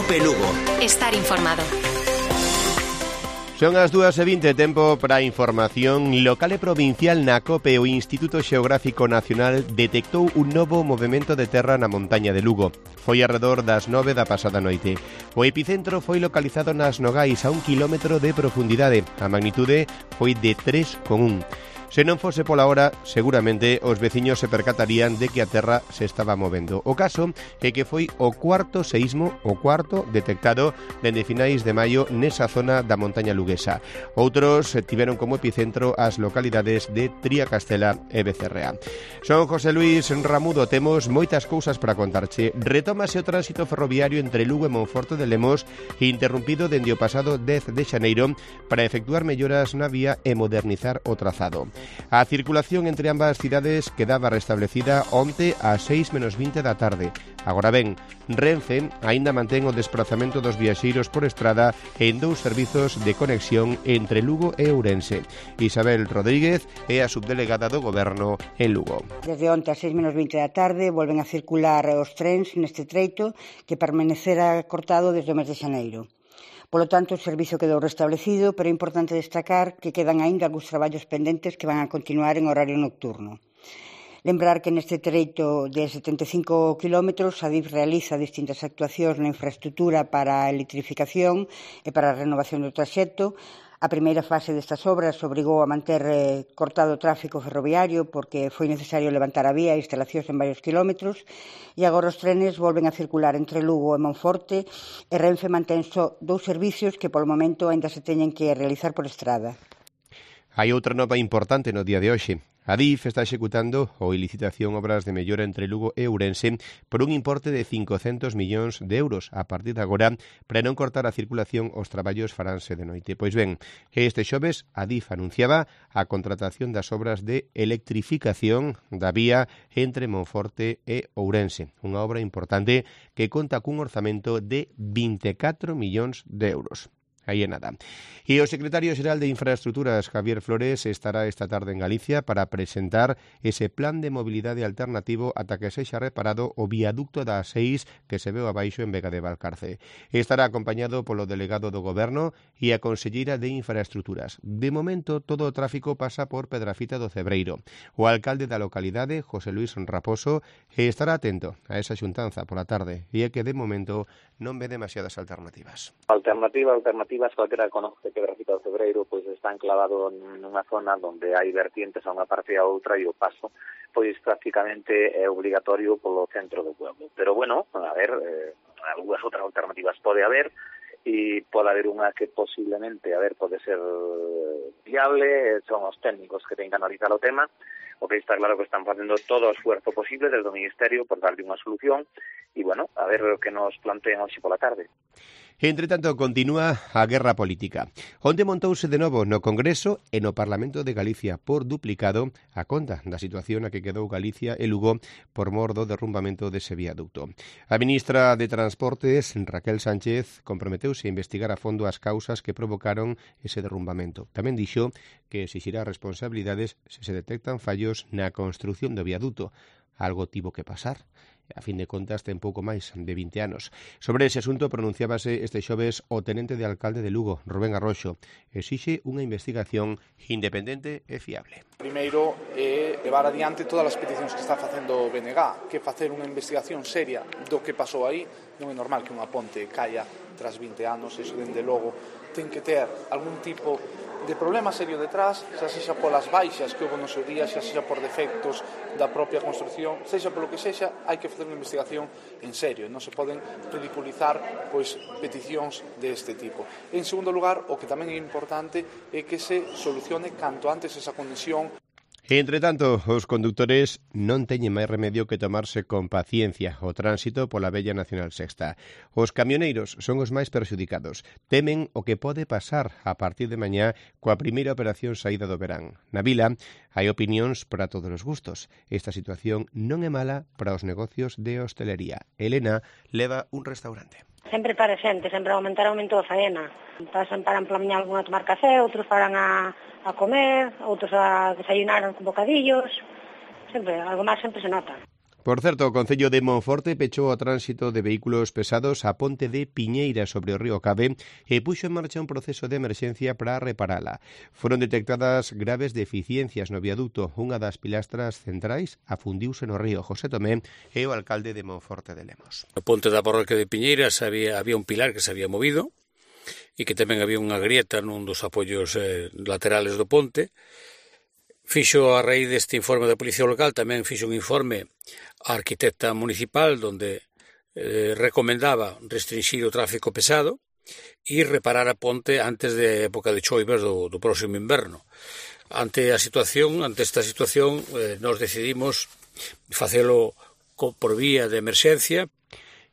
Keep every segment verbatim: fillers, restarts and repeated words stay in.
Cope Lugo. Estar informado. Son as dúas e vinte, tempo para a información local e provincial. Na COPE, o Instituto Xeográfico Nacional detectou un novo movemento de terra na montaña de Lugo. Foi arredor das nove da pasada noite. O epicentro foi localizado nas Nogais, a un kilómetro de profundidade. A magnitude foi de tres coma un. Se non fose pola hora, seguramente os veciños se percatarían de que a terra se estaba movendo. O caso é que foi o cuarto seísmo, o cuarto detectado dende finais de maio nesa zona da montaña luguesa. Outros tiveron como epicentro as localidades de Triacastela e Becerrea. Son José Luis Ramudo, temos moitas cousas para contarche. Retómase o tránsito ferroviario entre Lugo e Monforte de Lemos, interrompido dende o pasado dez de xaneiro para efectuar melloras na vía e modernizar o trazado. A circulación entre ambas cidades quedaba restablecida onte ás seis menos vinte da tarde. Agora ben, Renfe aínda mantén o desprazamento dos viaxeiros por estrada en dous servizos de conexión entre Lugo e Ourense. Isabel Rodríguez é a subdelegada do Goberno en Lugo. Desde onte ás seis menos vinte da tarde volven a circular os trens neste treito que permanecera cortado desde o mes de xaneiro. Polo tanto, o servizo quedou restablecido, pero é importante destacar que quedan aínda algúns traballos pendentes que van a continuar en horario nocturno. Lembrar que neste treito de setenta e cinco kilómetros a D I F realiza distintas actuacións na infraestructura para a electrificación e para a renovación do traxecto. A primeira fase destas obras obrigou a manter eh, cortado o tráfico ferroviario porque foi necesario levantar a vía e instalacións en varios kilómetros e agora os trenes volven a circular entre Lugo e Monforte e Renfe mantén só dous servicios que polo momento aínda se teñen que realizar por estrada. Hai outra nova importante no día de hoxe. A D I F está executando ou licitación obras de mellora entre Lugo e Ourense por un importe de cincocentos millóns de euros a partir de agora para non cortar a circulación. Os traballos faránse de noite. Pois ben, este xoves a D I F anunciaba a contratación das obras de electrificación da vía entre Monforte e Ourense, unha obra importante que conta cun orzamento de vinte e catro millóns de euros. Aí é nada. E o secretario xeral de Infraestructuras, Javier Flores, estará esta tarde en Galicia para presentar ese plan de mobilidade alternativo ata que sexa reparado o viaducto da A seis que se veu abaixo en Vega de Valcarce. Estará acompañado polo delegado do Goberno e a conselleira de Infraestructuras. De momento, todo o tráfico pasa por Pedrafita do Cebreiro. O alcalde da localidade, José Luis Raposo, estará atento a esa xuntanza pola tarde e é que de momento non ve demasiadas alternativas. Alternativa, alternativas, calquera conoce que Pedrafita do Cebreiro pois está enclavado nunha zona onde hai vertientes a unha parte e a outra e o paso pois prácticamente é obligatorio polo centro do pueblo. Pero bueno, a ver, eh, algunhas outras alternativas pode haber e pode haber unha que posiblemente, a ver, pode ser viable, son os técnicos que ten que analizar o tema. O que está claro que están facendo todo o esfuerzo posible desde o Ministerio por darle unha solución e, bueno, a ver o que nos plantean hoxe pola tarde. Entre tanto, continúa a guerra política. Onte montouse de novo no Congreso e no Parlamento de Galicia por duplicado a conta da situación a que quedou Galicia e Lugo por mor do derrumbamento dese viaducto. A ministra de Transportes, Raquel Sánchez, comprometeuse a investigar a fondo as causas que provocaron ese derrumbamento. Tamén dixo que exixirá responsabilidades se se detectan fallos na construción do viaduto. Algo tivo que pasar. A fin de contas, ten pouco máis de vinte anos. Sobre ese asunto pronunciábase este xoves o tenente de alcalde de Lugo, Rubén Arroxo. Exixe unha investigación independente e fiable. Primeiro é levar adiante todas as peticións que está facendo o B N G, que facer unha investigación seria do que pasou aí. Non é normal que unha ponte caia tras vinte anos, iso dende logo ten que ter algún tipo de problema serio detrás, xa sexa polas baixas que houve no seu día, xa sexa por defectos da propia construcción, sexa polo que sexa, hai que facer unha investigación en serio, non se poden ridiculizar pois peticións deste tipo. En segundo lugar, o que tamén é importante é que se solucione canto antes esa conexión. Entre tanto, os condutores non teñen máis remedio que tomarse con paciencia o tránsito pola vella Nacional Sexta. Os camioneiros son os máis perxudicados. Temen o que pode pasar a partir de mañá coa primeira operación saída do verán. Na vila hai opinións para todos os gustos. Esta situación non é mala para os negocios de hostelería. Elena leva un restaurante. Sempre para xente, sempre aumentar aumento da faena. Pasan para pola mañá algún a tomar café, outros paran a, a comer, outros a desayunar con bocadillos. Sempre, algo máis sempre se nota. Por certo, o Concello de Monforte pechou o tránsito de vehículos pesados a ponte de Piñeira sobre o río Cabe e puxo en marcha un proceso de emerxencia para reparala. Foron detectadas graves deficiencias no viaduto. Unha das pilastras centrais afundiuse no río. José Tomé é o alcalde de Monforte de Lemos. No ponte da parroquia de Piñeira había, había un pilar que se había movido e que tamén había unha grieta nun dos apoios eh, laterales do ponte. Fixo a raíz deste informe da Policía Local, tamén fixo un informe á arquitecta municipal onde eh, recomendaba restringir o tráfico pesado e reparar a ponte antes de época de choivas do, do próximo inverno. Ante a situación, ante esta situación, eh, nos decidimos facelo por vía de emerxencia.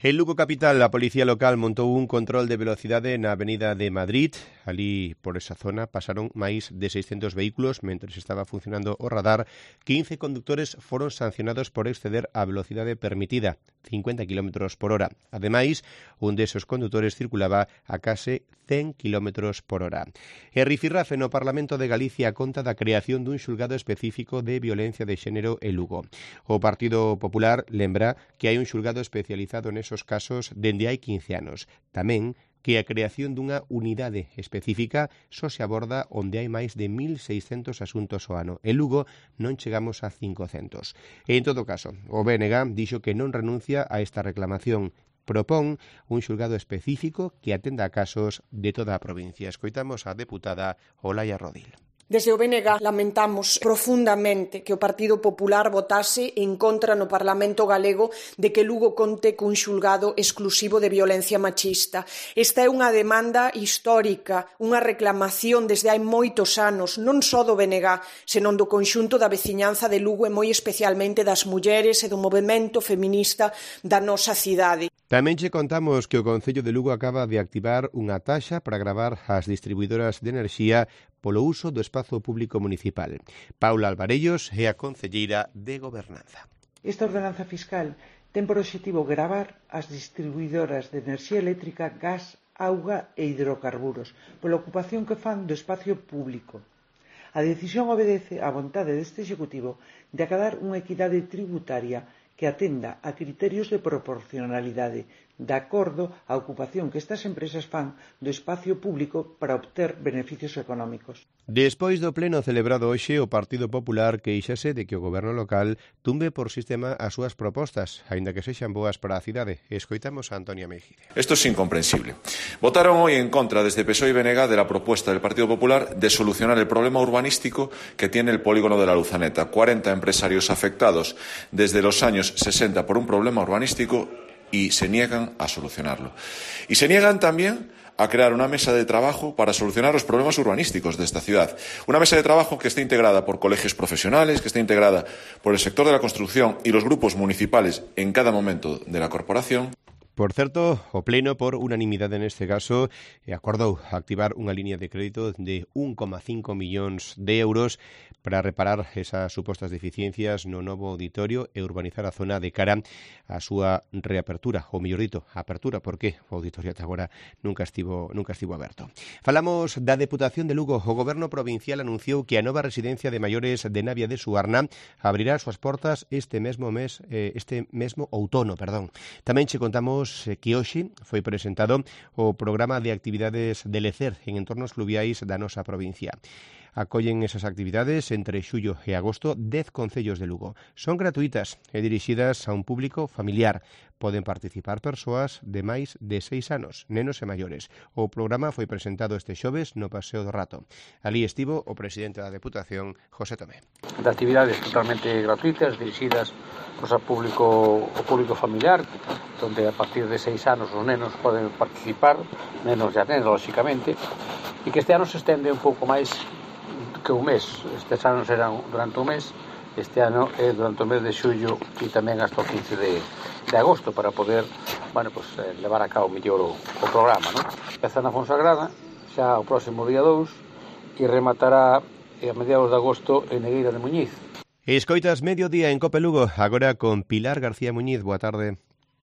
En Lugo capital, a Policía Local montou un control de velocidade na Avenida de Madrid. Ali, por esa zona, pasaron máis de seiscentos vehículos mentres estaba funcionando o radar. quince conductores foron sancionados por exceder a velocidade permitida, cincuenta kilómetros por hora. Ademais, un desos condutores circulaba a case cen kilómetros por hora. E rifirrafe no Parlamento de Galicia conta da creación dun xulgado específico de violencia de xénero en Lugo. O Partido Popular lembra que hai un xulgado especializado nesos casos dende hai quince anos. Tamén que a creación dunha unidade específica só se aborda onde hai máis de mil seiscentos asuntos ao ano. En Lugo non chegamos a cincocentos. E, en todo caso, o B N G dixo que non renuncia a esta reclamación. Propón un xulgado específico que atenda a casos de toda a provincia. Escoitamos a deputada Olaya Rodil. Desde o B N G lamentamos profundamente que o Partido Popular votase en contra no Parlamento galego de que Lugo conte cun xulgado exclusivo de violencia machista. Esta é unha demanda histórica, unha reclamación desde hai moitos anos, non só do B N G, senón do conxunto da veciñanza de Lugo e moi especialmente das mulleres e do movemento feminista da nosa cidade. Tamén che contamos que o Concello de Lugo acaba de activar unha taxa para gravar as distribuidoras de enerxía polo uso do espazo público municipal. Paula Alvarellos é a concelleira de Gobernanza. Esta ordenanza fiscal ten por obxectivo gravar as distribuidoras de enerxía eléctrica, gas, auga e hidrocarburos pola ocupación que fan do espacio público. A decisión obedece á vontade deste Executivo de acadar unha equidade tributaria que atenda a criterios de proporcionalidade de acordo á ocupación que estas empresas fan do espacio público para obter beneficios económicos. Despois do pleno celebrado hoxe, o Partido Popular queixase de que o goberno local tumbe por sistema as súas propostas, aínda que sexan boas para a cidade. Escoitamos a Antonia Mejide. Esto es incomprensible. Votaron hoy en contra desde P S O E y B N G de la propuesta del Partido Popular de solucionar el problema urbanístico que tiene el polígono de la Luzaneta. cuarenta empresarios afectados desde los años sesenta por un problema urbanístico y se niegan a solucionarlo. Y se niegan también a crear una mesa de trabajo para solucionar los problemas urbanísticos de esta ciudad. Una mesa de trabajo que esté integrada por colegios profesionales, que esté integrada por el sector de la construcción y los grupos municipales en cada momento de la corporación. Por certo, o Pleno, por unanimidade neste caso, acordou activar unha línea de crédito de un coma cinco millóns de euros para reparar esas supostas deficiencias no novo auditorio e urbanizar a zona de cara á súa reapertura, ou mellor dito, apertura, porque o auditorio ata agora nunca estivo, nunca estivo aberto. Falamos da Deputación de Lugo. O Goberno Provincial anunciou que a nova residencia de maiores de Navia de Suarna abrirá as súas portas este mesmo mes, eh, este mesmo outono, perdón. Tamén che contamos que hoxe foi presentado o programa de actividades de lecer en entornos fluviais da nosa provincia. Acollen esas actividades entre xullo e agosto dez concellos de Lugo. Son gratuitas e dirixidas a un público familiar. Poden participar persoas de máis de seis anos, nenos e maiores. O programa foi presentado este xoves no Paseo do Rato. Alí estivo o presidente da Deputación, José Tomé. De actividades totalmente gratuitas, dirixidas pues, ao público, ao público familiar, donde a partir de seis anos os nenos poden participar, nenos e nenas, lóxicamente, e que este ano se estende un pouco máis que un mes. Estes anos eran durante un mes, este ano é durante o mes de xullo e tamén hasta o quince de, de agosto para poder, bueno, pues, eh, levar a cabo mellor o, o programa, ¿no? Empeza na Fonsagrada xa o próximo día dous e rematará a mediados de agosto en Negueira de Muñiz. Escoitas Mediodía en Cope Lugo, agora con Pilar García Muñiz. Boa tarde.